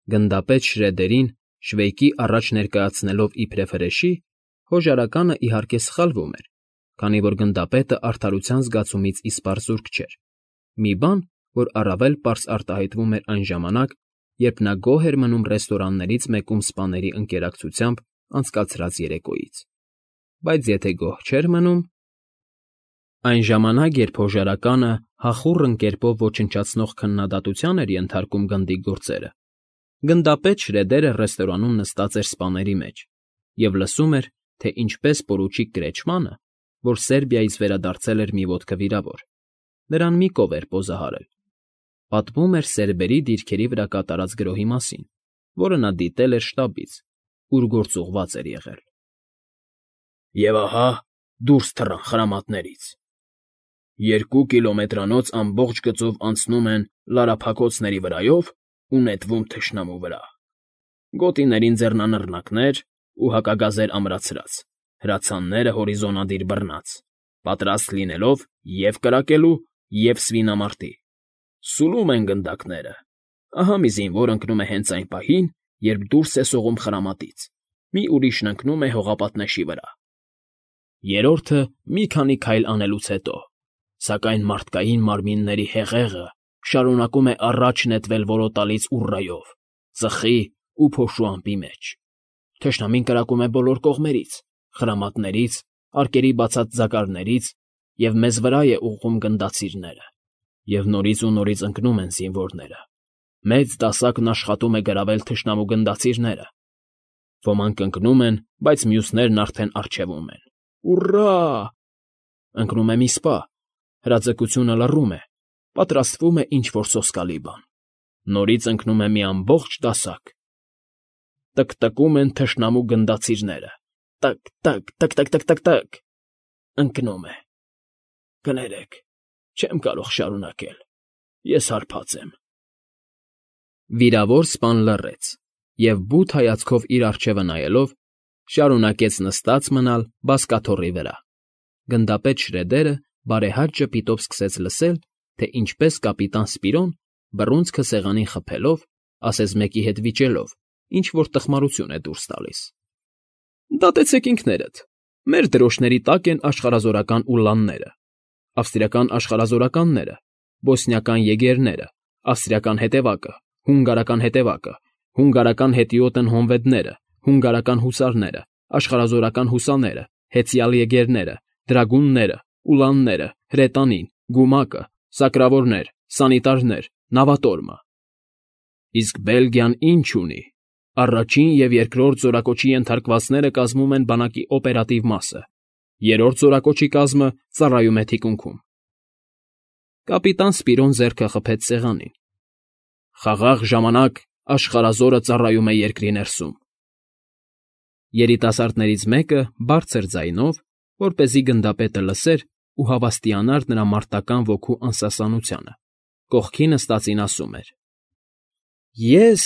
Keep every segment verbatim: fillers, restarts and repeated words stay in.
Գնդապետ Շրեդերին Շվեյկի առաջ ներկայացնելով իբրև հրեշի, հոժարականը, իհարկե, սխալվում էր, քանի որ գնդապետը արդարության զգացումից իսպառ զուրկ չէր, մի բան, որ առավել պարզ արտահայտվում էր այն ժամանակ, երբ նա գոհ էր մնում ռեստորաններից մեկում սպաների ընկերակցությամբ անցկացրած երեկոյից, բայց եթե գոհ չէր մնում… Այն ժամանակ, երբ հոժարականը հախուռն կերպով ոչնչացնող քննադատության էր ենթարկում գնդի գործերը, գնդապետ Շրեդերը ռեստորանում նստած էր սպաների մեջ և լսում էր, թե ինչպես պորուչիկ Կրեչմանը, որ Սերբիայից վերադարձել էր մի ոտքը վիրավոր, նրան մի կով էր պոզահարել, պատմում էր սերբերի դիրքերի վրա կատարած գրոհի մասին, որը նա դիտել էր շտաբից, ուր գործուղված էր եղել։ «Եվ ահա դուրս թռան խրամատներից. երկու կիլոմետրանոց ամբողջ գծով անցնում են լարափակոցների վրայով ու նետվում թշնամու վրա. գոտիներին ձեռնանռնակներ ու հակագազեր ամրացրած, հրացանները հորիզոնադիր բռնած, պատրաստ լինելով և կրակելու, և սվինամարտի. սուլում են գնդակները, ահա մի զինվոր ընկնում է հենց այն պահին, երբ դուրս է սողում խրամատից, մի ուրիշն ընկնում է հողապատնեշի վրա, երրորդը մի քանի քայլ անելուց հետո, սակայն մարդկային մարմինների հեղեղը շարունակում է առաջ նետվել որոտալից ուռայով, ծխի ու փոշու ամպի մեջ. թշնամին կրակում է բոլոր կողմերից, խրամատներից, արկերի բացած ձագարներից և մեզ վրա է ուղղում գնդացիրները, և նորից ու նորից ընկնում են զինվորները, մեծ դասակն աշխատում է գրավել թշնամու գնդացիրները, ոմանք ընկնում են, բայց մյուսներն արդեն առջևում են, ուռա՜, ընկնում է մի սպա, հրաձգությունը լռում է, պատրաստվում է ինչ֊որ սոսկալի բան, նորից ընկնում է մի ամբողջ դասակ, տկտկում են թշնամու գնդացիրները, տը՛կ֊տը՛կ, տը՛կ֊տը՛կ, ընկնում է… Կներեք, չեմ կարող շարունակել, ես հարբած եմ»։ Վիրավոր սպան լռեց և, բութ հայացքով իր առջևը նայելով, շարունակեց նստած մնալ բազկաթոռի վրա։ Գնդապետ Շրեդերը բարեհաճ ժպիտով սկսեց լսել, թե ինչպես կապիտան Սպիրոն, բռունցքը սեղանին խփելով, ասես մեկի հետ վիճելով, ինչ֊որ տխմարություն է դուրս տալիս. «Դատեցեք ինքներդ, մեր դրոշների տակ են աշխարհազորական ուլլանները, ավստրիական աշխարհազորականները, բոսնիական եգերները, ավստրիական հետևակը, հունգարական հետևակը, հունգարական հետիոտն հոնվեդները, հունգարական հուսարները, աշխարհազորական հուսաները, հեծյալ եգերները, դրագունները, ուլանները, հրետանին, գումակը, սակրավորներ, սանիտարներ, նավատորմը… Իսկ Բելգիան ի՞նչ ունի… Առաջին և երկրորդ զորակոչի ենթարկվածները կազմում են բանակի օպերատիվ մասը, երրորդ զորակոչի կազմը ծառայում է թիկունքում»։ Կապիտան Սպիրոն ձեռքը խփեց սեղանին. «Խաղաղ ժամանակ աշխարհազորը ծառայում է երկրի ներսում»։ Երիտասարդներից մեկը բարձր ձայնով, որպեսզի գնդապետը լսեր ու հավաստիանար նրա մարտական ոգու անսասանությանը, կողքի նստածին ասում էր. «Ես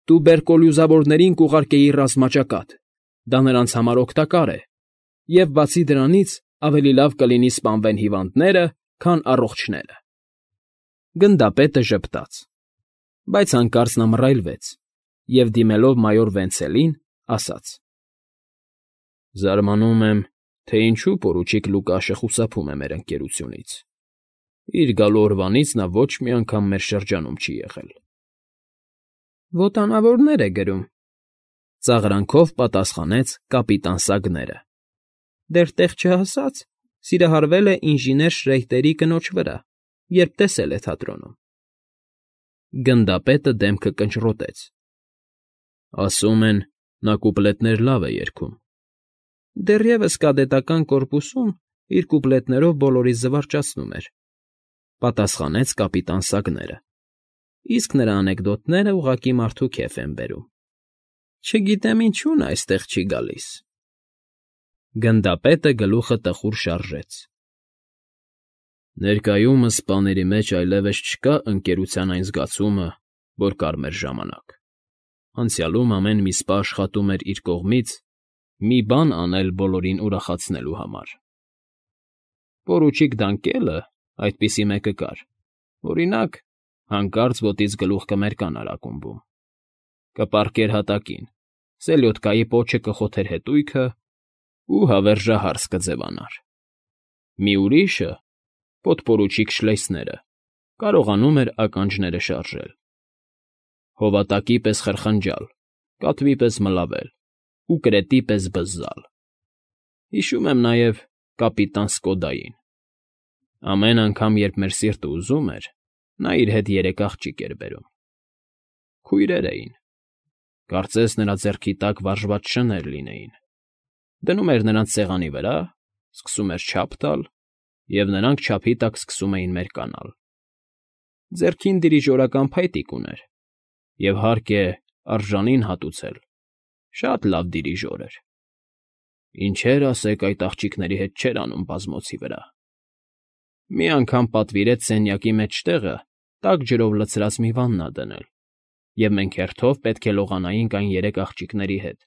տուբերկուլյոզավորներին կուղարկեի ռազմաճակատ, դա նրանց համար օգտակար է, և, բացի դրանից, ավելի լավ կլինի սպանվեն հիվանդները, քան առողջները»։ Գնդապետը ժպտաց, բայց հանկարծ նա մռայլվեց և, դիմելով մայոր Վենցելին, ասաց. «Զարմանում եմ, թե ինչու պորուչիկ Լուկաշը խուսափում է մեր ընկերությունից. իր գալու օրվանից նա ոչ մի անգամ մեր շրջանում չի եղել»։ «Ոտանավորներ է գրում», ֊ ծաղրանքով պատասխանեց կապիտան Սագները։ «Դեռ տեղ չհասած, սիրահարվել է ինժեներ Շրեյտերի կնոջ վրա, երբ տեսել է թատրոնում»։ Գնդապետը դեմքը կնճռոտեց. «Ասում են, նա կուպլետներ լավ է երգում»։ «Դեռևս կադետական կորպուսում իր կուպլետներով բոլորիս զվարճացնում էր», ֊ պատասխանեց կապիտան Սագները, «իսկ նրա անեկդոտները ուղղակի մարդու քեֆ են բերում։ Չգիտեմ ինչու նա այստեղ չի գալիս»։ Գնդապետը գլուխը տխուր շարժեց. «Ներկայումս սպաների մեջ այլևս չկա ընկերության այն զգացումը, որ կար մեր ժամանակ. անցյալում ամեն մի սպա աշխատում էր իր կողմից մի բան անել բոլորին ուրախացնելու համար։ Պորուչիկ Դանկելը այդպիսի մեկը կար, օրինակ, հանկարծ ոտից գլուխ կմերկանար ակումբում, կպառկեր հատակին, սելյոդկայի պոչը կխոթեր հետույքը ու հավերժահարս կձևանար։ Մի ուրիշը, պոդպորուչիկ շլեյսները, կարողանում էր ականջները շարժել, հովատակի պես խրխնջալ, կատվի պես մլավել ու կրետի պես բզզալ։ Հիշում եմ նաև կապիտան Սկոդային. ամեն անգամ, երբ մեր սիրտը ուզում էր, նա իր հետ երեք աղջիկ էր բերում։ Քույրեր էին, կարծես նրա ձեռքի տակ վարժված շներ լինեին, դնում էր նրանց սեղանի վրա, սկսում էր չափ տալ, և նրանք չափի տակ սկսում էին մերկանալ։ Ձեռքին դիրիժորական փայտիկ ուներ, և, հարկ է, արժանին հատուցել, շատ լավ դիրիժոր էր։ Ինչեր ասեք, այդ աղջիկների հետ չէր անում բազմոցի վրա։ Մի անգամ պատվիրեց սենյակի մեջտեղը տաք ջրով լցրած մի վաննա դնել, և մենք հերթով պետք է լողանայինք այն երեք աղջիկների հետ,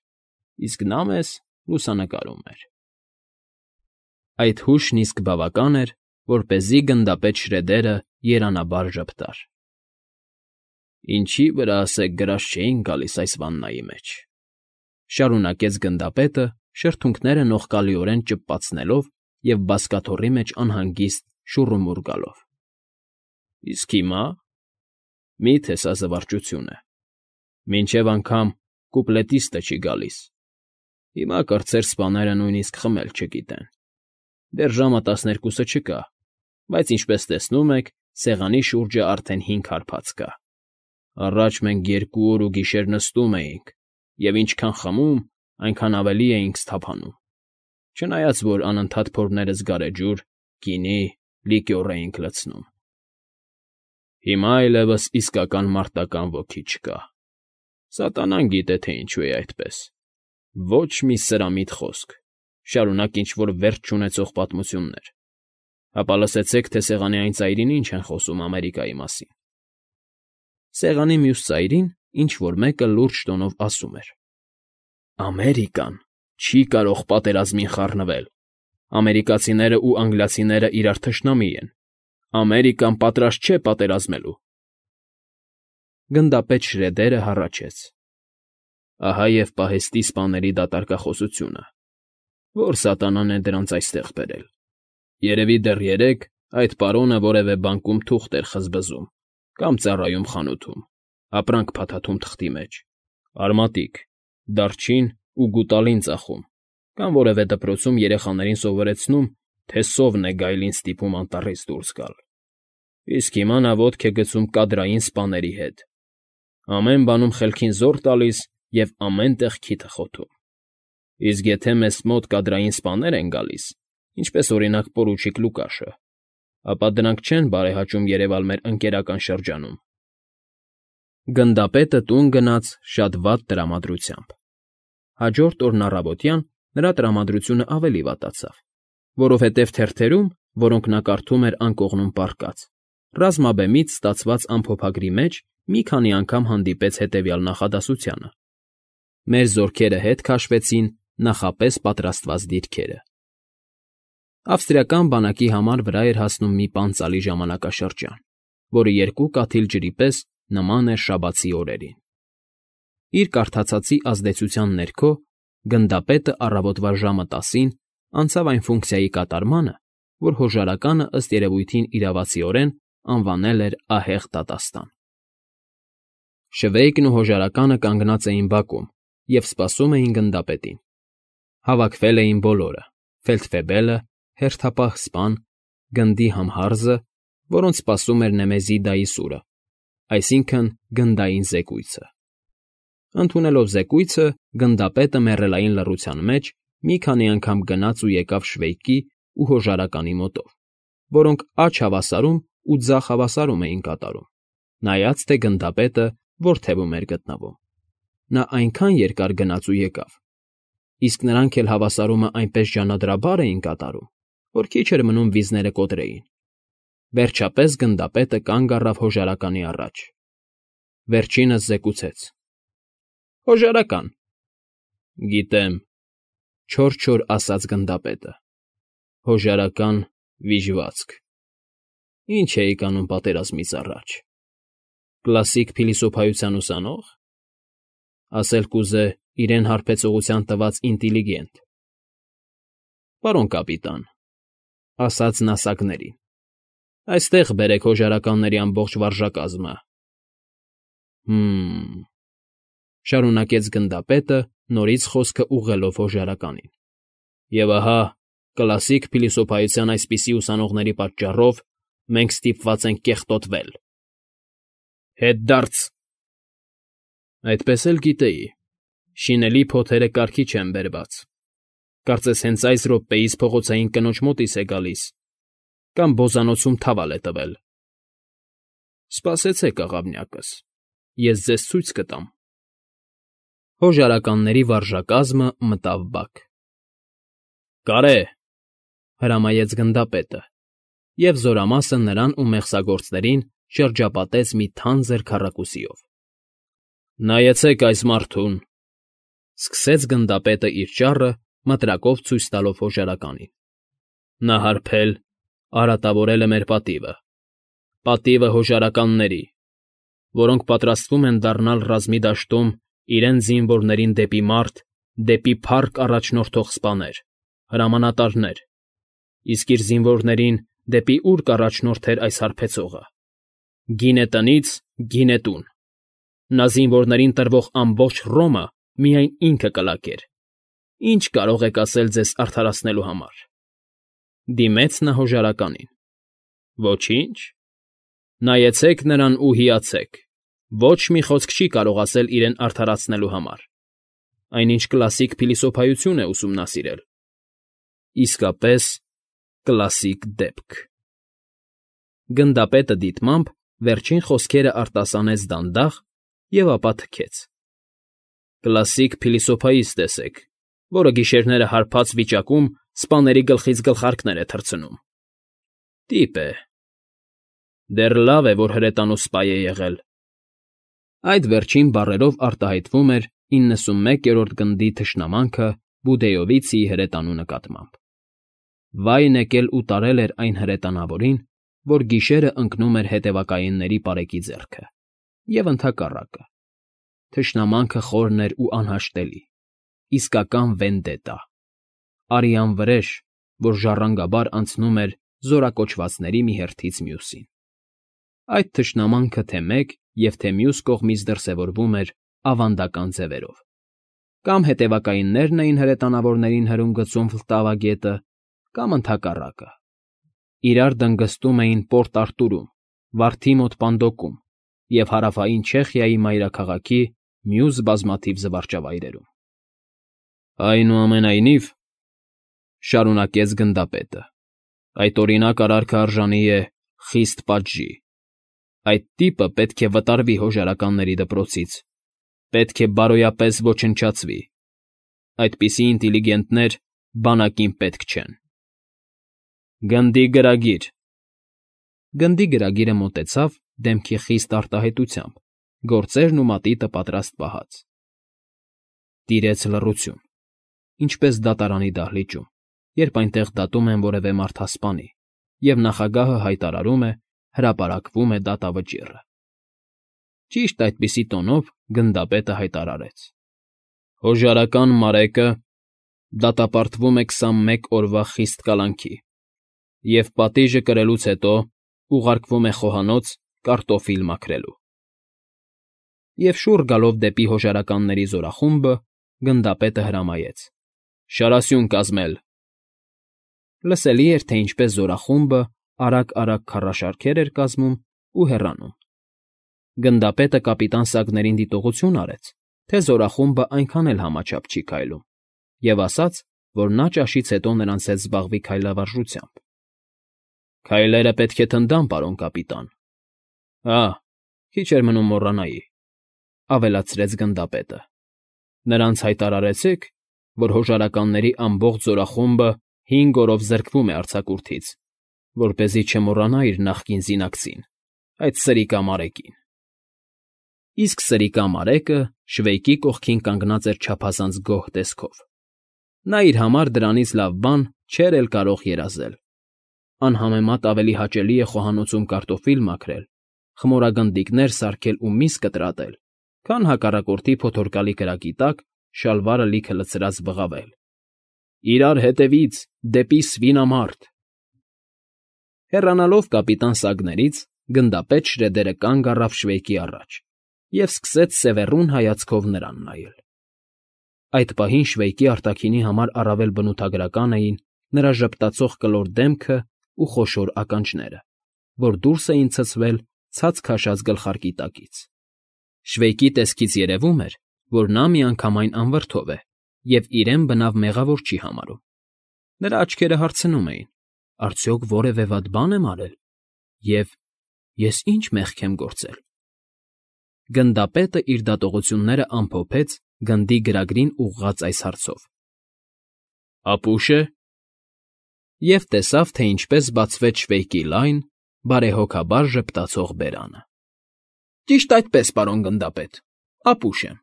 իսկ նա մեզ լուսանկարում էր։ Այդ հուշն իսկ բավական էր, որպեսզի գնդապետ Շրեդերը երանաբար ժպտար։ «Ինչի վրա, ասեք, գրած չէին գալիս այս վաննայի մեջ,֊ շարունակեց գնդապետը, շրթունքները նողկալիորեն ճպպացնելով և բազկաթոռի մեջ անհանգիստ շուռումուռ գալով։֊ Իսկ հիմա… Մի՞թե սա զվարճություն է… Մինչև անգամ կուպլետիստը չի գալիս, հիմա կրտսեր սպաները նույնիսկ խմել չգիտեն։ Դեռ ժամը տասներկուսը չկա, բայց, ինչպես տեսնում եք, սեղանի շուրջը արդեն հինգ հարբած կա։ Առաջ մենք երկու օր ու գիշեր նստում էինք և ինչքան խմում, այնքան ավելի էինք սթափանում, չնայած որ անընդհատ փորներս գարեջուր, գինի, լիկյոր էինք լցնում։ Հիմա այլևս իսկական մարտական ոգի չկա։ Սատանան գիտե, թե ինչու է այդպես։ Ոչ մի սրամիտ խոսք, շարունակ ինչ֊որ վերջ չունեցող պատմություններ։ Հապա լսեցեք, թե սեղանի այն ծայրին ինչ են խոսում Ամերիկայի մասին։ Սեղանի մյուս ծայրին ինչ֊որ մեկը լուրջ տոնով ասում էր. «Ամերիկան չի կարող պատերազմին խառնվել։ Ամերիկացիներն ու անգլիացիներն իրար թշնամի են։ Ամերիկան պատրաստ չէ պատերազմելու»։ Գնդապետ Շրեդերը հառաչեց. «Ահա և պահեստի սպաների դատարկախոսությունը… Ո՞ր սատանան է դրանց այստեղ բերել։ Երևի դեռ երեկ այդ պարոնը որևէ բանկում թուղթ էր խզբզում կամ ծառայում խանութում, ապրանք փաթաթում թղթի մեջ, արմատիկ, դարչին ու գուտալին ծախում կամ որևէ դպրոցում երեխաներին սովորեցնում, թե սովն է գայլին ստիպում անտառից դուրս գալ։ Իսկ հիմա նա ոտք է գցում կադրային սպաների հետ, ամեն բանում խելքին զոռ տալիս և ամեն տեղ քիթը խոթում։ Իսկ եթե մեզ մոտ կադրային սպաներ են գալիս, ինչպես, օրինակ, պորուչիկ Լուկաշը, ապա դրանք չեն բարեհաճում երևալ մեր ընկերական շրջանում»։ Գնդապետը տուն գնաց շատ վատ տրամադրությամբ։ Հաջորդ օրն առավոտյան նրա տրամադրությունը ավելի վատացավ, որովհետև թերթերում, որոնք նա կարդում էր անկողնում պառկած, ռազմաբեմից ստացված ամփոփագրի մեջ մի քանի անգամ հանդիպեց հետևյալ նախադասությանը. «Մեր զորքերը հետ քաշվեցին նախապես պատրաստված դիրքերը»։ Ավստրիական բանակի համար վրա էր հասնում մի պանծալի ժամանակաշրջան, որը երկու կաթիլ ջրի պես նման էր շաբաթի օրերին։ Իր կարդացածի ազդեցության ներքո գնդապետը առավոտվա ժամը տասին անցավ այն ֆունկցիայի կատարմանը, որ հոժարականը ըստ երևույթին իրավացիորեն անվանել էր ահեղ դատաստան։ Շվեյկն ու հոժարականը կանգնած էին բակում և սպասում էին գնդապետին։ Հավաքվել էին բոլորը՝ ֆելդֆեբելը, հերթապահ սպան, գնդի համհարզը, որոնց սպասում էր Նեմեզիդայի սուրը, այսինքն՝ գնդային զեկույցը։ Ընդունելով զեկույցը, գնդապետը մեռելային լռության մեջ մի քանի անգամ գնաց ու եկավ Շվեյկի ու հոժարականի մոտով, որոնք աջ հավասարում ու ձախ հավասարում էին կատարում, նայած թե գնդապետը որ թևում էր գտնվում։ Նա այնքան երկար գնաց ու եկավ, իսկ նրանք էլ հավասարումը այնպես ջանադրաբար էին կատարում, որ քիչ էր մնում վիզները կոտրեին։ Վերջապես գնդապետը կանգ առավ հոժարականի առաջ։ Վերջինս զեկուցեց. «Հոժարական»։ «Գիտեմ,֊ չոր֊չոր ասաց գնդապետը,֊ հոժարական, վիժվածք… Ի՞նչ էիք անում պատերազմից առաջ… Կլասիկ փիլիսոփայության ուսանո՞ղ։ Ասել կուզե իրեն հարբեցողության տված ինտիլիգենտ։ Պարոն կապիտան, ասաց նա սակներին, այստեղ բերեք հոժարականների ամբողջ վարժակազմը։ Հը՛մ, շարունակեց գնդապետը, նորից խոսքը ուղղելով հոժարականին։ Եվ ահա, կլասիկ փիլիսոփայության այսպիսի ուսանողների պատճառով մենք ստիպված ենք կեղտոտվել։ Հետդարձ… Այդպես էլ գիտեի, շինելի փոթերը կարգի չեն բերված, կարծես հենց այս րոպեիս փողոցային կնոջ մոտից է գալիս, կամ բոզանոցում թավալ է տվել։ Սպասեցեք, աղավնյակս, ես ձեզ ցույց կտամ։ Հոժարականների վարժակազմը մտավ բակ։ Կարե՛, հրամայեց գնդապետը, և զորամասը նրան ու մեղսագործներին շրջապատեց մի թանձր քառակուսիով։ Նայեցեք այս մարդուն, սկսեց գնդապետը իր ճառը, մտրակով ցույց տալով հոժարականին։ Նա հարբել, արատավորել է մեր պատիվը, պատիվը հոժարականների, որոնք պատրաստվում են դառնալ ռազմի դաշտում իրենց զինվորներին դեպի մարտ, դեպի փառք առաջնորդող սպաներ, հրամանատարներ, իսկ իր զինվորներին դեպի ուր կառաջնորդեր այս հարբեցողը։ Գինե տնից, գինե տուն։ Նա զինվորներին տրվող ամբողջ Ռոմը միայն ինքը կլակեր։ Ինչ կարող եք ասել ձեզ արդարացնելու համար։ Դիմեց նա հոժարականին։ Ոչինչ։ Նայեցեք նրան ու հիացեք։ Ոչ մի խոսք չի կարող ասել իրեն արդարացնելու համար։ Այնինչ կլասիկ փիլիսոփայություն է ուսումնասիրել։ Իսկապես կլասիկ դեպք։ Գնդապետը դիտմամբ վերջին խոսքերը արտասանեց դանդաղ և ապա թքեց։ Կլասիկ փիլիսոփայից տեսեք, որը գիշերները հարբած վիճակում սպաների գլխից գլխարկներ է թռցնում։ Տիպ է։ Դեռ լավ է, որ հրետանու սպա է եղել։ Այդ վերջին բառերով արտահայտվում էր իննսունմեկերորդ գնդի թշնամանքը Բուդեովիցիի հրետանու նկատմամբ։ Վայն եկել ու տարել էր այն հրետանավորին, որ գիշերը ընկնում էր հետևակայինների պարեկի ձեռքը, և ընդհակառակը։ Թշնամանքը խորն էր ու անհաշտելի, իսկական վենդետա, արյան վրեժ, որ ժառանգաբար անցնում էր զորակոչվածների մի հերթից մյուսին։ Այդ թշնամանքը թե մեկ և թե մյուս կողմից դրսևորվում էր ավանդական ձևերով. կամ հետևակայիններն էին հրետանավորներին հրում գցում Վլտավա գետը, կամ ընդհակառակը։ Իրար դնգստում էին Պորտ Արտուրում, Վարդի մոտ Պանդոկում և հարավային Չեխիայի մայրաքաղաքի մյուս բազմաթիվ զվարճավայրերում։ Այնուամենայնիվ, շարունակեց գնդապետը, այդ օրինակ արարքը արժանի է խիստ պատժի։ Այդ տիպը պետք է վտարվի հոժարականների դպրոցից, պետք է բարոյապես ոչնչացվի։ Այդպիսի ինտիլիգենտներ բանակին պետք չեն։ Գնդի գրագիր։ Գնդի գրագիրը մոտեցավ դեմքի խիստ արտահայտությամբ, գործերն ու մատիտը պատրաստ պահած։ Տիրեց լռություն, ինչպես դատարանի դահլիճում, երբ այնտեղ դատում են որևէ մարդասպանի, և նախագահը հայտարարում է, հրապարակվում է դատավճիռը։ Ճիշտ այդպիսի տոնով գնդապետը հայտարարեց. Հոժարական Մարեկը դատապարտվում է քսանմեկ օրվա խիստ կալանքի և պատիժը կրելուց հետո ուղարկվում է խոհանոց կարտոֆիլ մաքրելու։ Եվ շուռ գալով դեպի հոժարականների զորախումբը, գնդապետը հրամայեց. Շարասյուն կազմել։ Լսելի էր, թե ինչպես զորախումբը արագ֊արագ քարաշարքեր էր կազմում ու հեռանում։ Գնդապետը կապիտան Սագներին դիտողություն արեց, թե զորախումբը այնքան էլ համաչափ չի քայլում, և ասաց, որ նա ճաշից հետո նրանց հետ զբաղվի քայլավարժությամբ։ Քայլերը պետք է թնդան, պարոն կապիտան։ Հա, քիչ էր մնում մոռանայի, ավելացրեց գնդապետը։ Նրանց հայտարարեցեք, որ հոժարականների ամբողջ զորախումբը հինգ օրով զրկվում է արձակուրդից, որպեսզի չմոռանա իր նախկին զինակցին, այդ սրիկա Մարեկին։ Իսկ սրիկա Մարեկը Շվեյկի կողքին կանգնած էր չափազանց գոհ տեսքով։ Նա իր համար դրանից լավ բան չէր էլ կարող երազել։ Անհամեմատ ավելի հաճելի է խոհանոցում կարտոֆիլ մաքրել, խմորագնդիկներ սարքել ու միս կտրատել, քան հակառակորդի փոթորկալի կրակի տակ շալվարը լիքը լցրած բղավել. «Իրար հետևից, դեպի սվինամարտ»։ Հեռանալով կապիտան Սագներից՝ գնդապետ Շրեդերը կանգ առավ Շվեյկի առաջ և սկսեց սևեռուն հայացքով նրան նայել։ Այդ պահին Շվեյկի արտաքինի համար առավել բնութագրական էին նրա ժպտացող կլոր դեմքն ու խոշոր ականջները, որ դուրս էին ցցվել ցած քաշած գլխարկի տակից։ Շվեյկի տեսքից երևում էր, որ նա միանգամայն անվրդով է և իրեն բնավ մեղավոր չի համարում։ Նրա աչքերը հարցնում էին. «Արդյոք որևէ վատ բան եմ արել, և ես ի՞նչ մեղք եմ գործել»։ Գնդապետը իր դատողությունները ամփոփեց գնդի գրագրին ուղղված այս հարցով։ «Ապուշ է»։ Եվ տեսավ, թե ինչպես բացվեց Շվեյկի լայն, բարեհոգաբար ժպտացող բերանը։ «Ճիշտ այդպես, պարոն գնդապետ, ապուշ եմ»,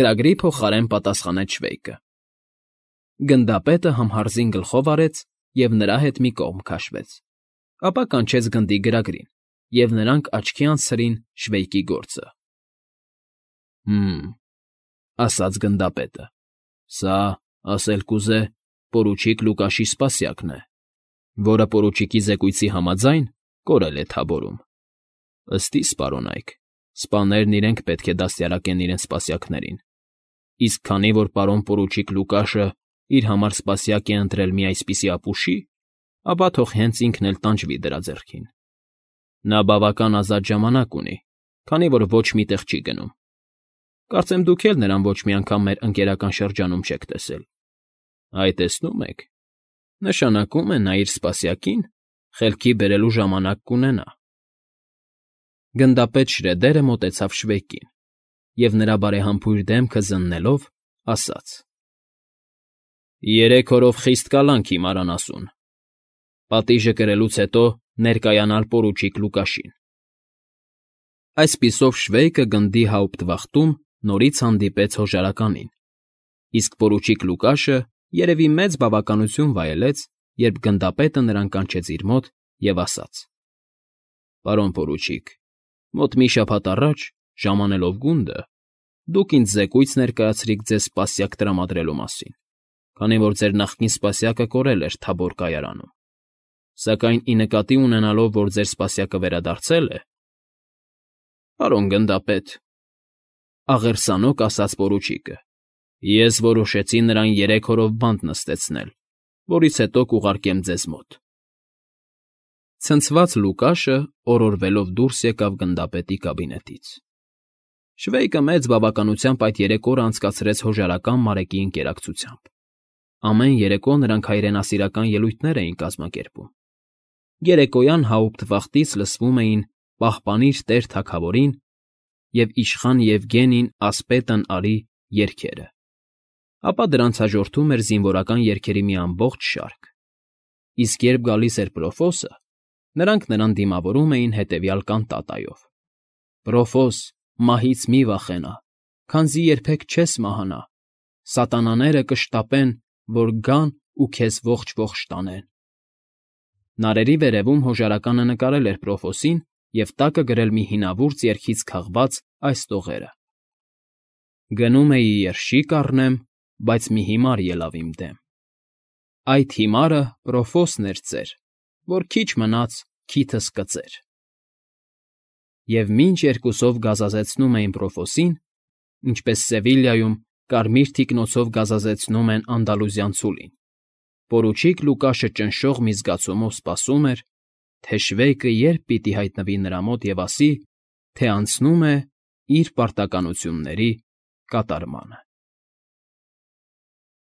գրագրի փոխարեն պատասխանեց Շվեյկը։ Գնդապետը համհարզին գլխով արեց և նրա հետ մի կողմ քաշվեց, ապա կանչեց գնդի գրագրին, և նրանք աչքի անցրին Շվեյկի գործը։ «Հը՜մ», ասաց գնդապետը, «սա, ասել կուզե, պորուչիկ Լուկաշի սպասյակն է, որը պորուչիկի զեկույցի համաձայն կորել է Թաբորում։ Ըստ իս, պարոնայք, սպաներն իրենք պետք է դաստիարակեն իրենց սպասյակներին, իսկ քանի որ պարոն պորուչիկ Լուկաշը իր համար սպասյակ է ընտրել մի այսպիսի ապուշի, ապա թող հենց ինքն էլ տանջվի դրա ձեռքին։ Նա բավական ազատ ժամանակ ունի, քանի որ ոչ մի տեղ չի գնում։ Կարծեմ դուք էլ նրան ոչ մի անգամ մեր ընկերական շրջանում չեք տեսել։ Այ տեսնում եք, նշանակում է նա իր սպասյակին խելքի բերելու ժամանակ կունենա»։ Գնդապետ Շրեդերը մոտեցավ Շվեյկին և նրա բարեհամբույր դեմքը զննելով ասաց. «Երեք օրով խիստ կալանք հիմար անասուն։ Պատիժը կրելուց հետո ներկայանալ պորուչիկ Լուկաշին»։ Այսպիսով Շվեյկը գնդի հաուպտվախտում նորից հանդիպեց հոժարականին, իսկ պորուչիկ Լուկաշը երևի մեծ բավականություն վայելեց, երբ գնդապետը նրան կանչեց իր մոտ և ասաց. «Պարոն պորուչիկ, մոտ մի շաբաթ առաջ, ժամանելով գունդը, դուք ինձ զեկույց ներկայացրիք ձեզ սպասյակ տրամադրելու մասին, քանի որ ձեր նախկին սպասյակը կորել էր Թաբոր կայարանում, սակայն ի նկատի ունենալով, որ ձեր սպասյակը վերադարձել է»։ «Պարոն գնդապետ», աղերսանոք ասաց պորուչիկը, «ես որոշեցի նրան երեք օրով բանտ նստեցնել, որից հետո կուղարկեմ ձեզ մոտ»։ Ցնցված Լուկաշը օրորվելով դուրս եկավ գնդապետի կաբինետից։ Շվեյկը մեծ բավականությամբ այդ երեք օրը անցկացրեց հոժարական Մարեկի ընկերակցությամբ։ Ամեն երեկո նրանք հայրենասիրական ելույթներ էին կազմակերպում։ Երեկոյան հաուպտվախտից լսվում էին «Պահպանիր Տեր Թագավորին» և «Իշխան Եվգենին ասպետն արի» երգերը, ապա դրանց հաջորդում էր զինվորական երգերի մի ամբողջ շարք, իսկ երբ գալիս էր Պրոֆոսը, նրանք նրան դիմավորում էին հետևյալ կանտատայով. «Պրոֆոս, մահից մի վախենա, քանզի երբեք չես մահանա, սատանաները կշտապեն, որ գան ու քեզ ողջ֊ողջ տանեն»։ Նարերի վերևում հոժարականը նկարել էր Պրոֆոսին և տակը գրել մի հինավուրց երգից քաղված այս տողերը. «Գնում էի երշիկ առնեմ, բայց մի հիմար ելավ իմ դեմ. այդ հիմարը Պրոֆոսն էր ծեր, որ քիչ մնաց քիթս կծեր»։ Եվ մինչ երկուսով գազազեցնում էին Պրոֆոսին, ինչպես Սևիլյայում կարմիր թիկնոցով գազազեցնում են անդալուզյան ցուլին, պորուչիկ Լուկաշը ճնշող մի զգացումով սպասում էր, թե Շվեյկը երբ պիտի հայտնվի նրա մոտ և ասի, թե անցնում է իր պարտականությունների կատարմանը։